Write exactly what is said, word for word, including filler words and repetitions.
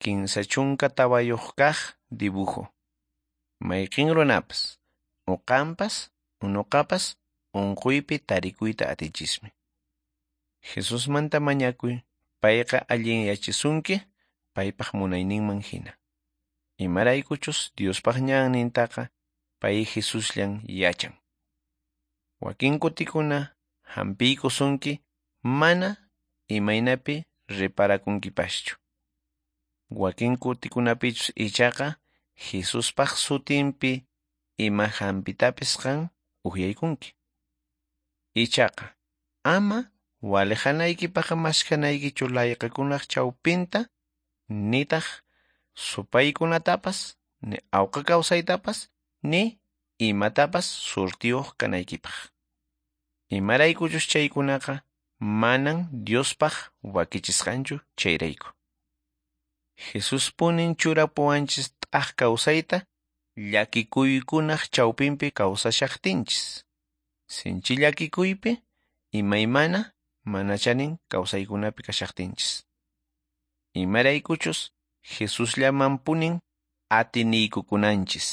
Kinsa chunka tawayuq kaq dibujo. Mayqin runapas, uqanpas, unuqapas unquypi tarikuyta atichismi. Jesusmanta mañakuy, payqa allinyachisunki, paypaq munayninman hina. Imaraykuchus Diospaq ñannintaqa pay Jesusllan yachan. Wakin kutikuna hampiykusunki mana imaynapi reparakunkipaschu. Wakin kutikunapichus ichaqa Jesuspaq sutinpi ima hampitapis qan uhyaykunki. Ichaqa ama waliqanaykipaq maskhanaykichu layqakunaq chawpinta nitaq supaykunatapas ni awqa kawsaytapas ni imatapas surtiyuq kanaykipaq. Imaraykuchus chaykunaqa manan Diospaq wakichisqanchu chayrayku. Jesuspunin churapuwanchis t'aq kawsayta llakikuykunaq chawpinpi kawsashaqtinchis. Sinchi llakikuypi imaymana mana chanin kawsaykunapi kashaqtinchis. Imaraykuchus Jesusllamanpunin atiniykukunanchis.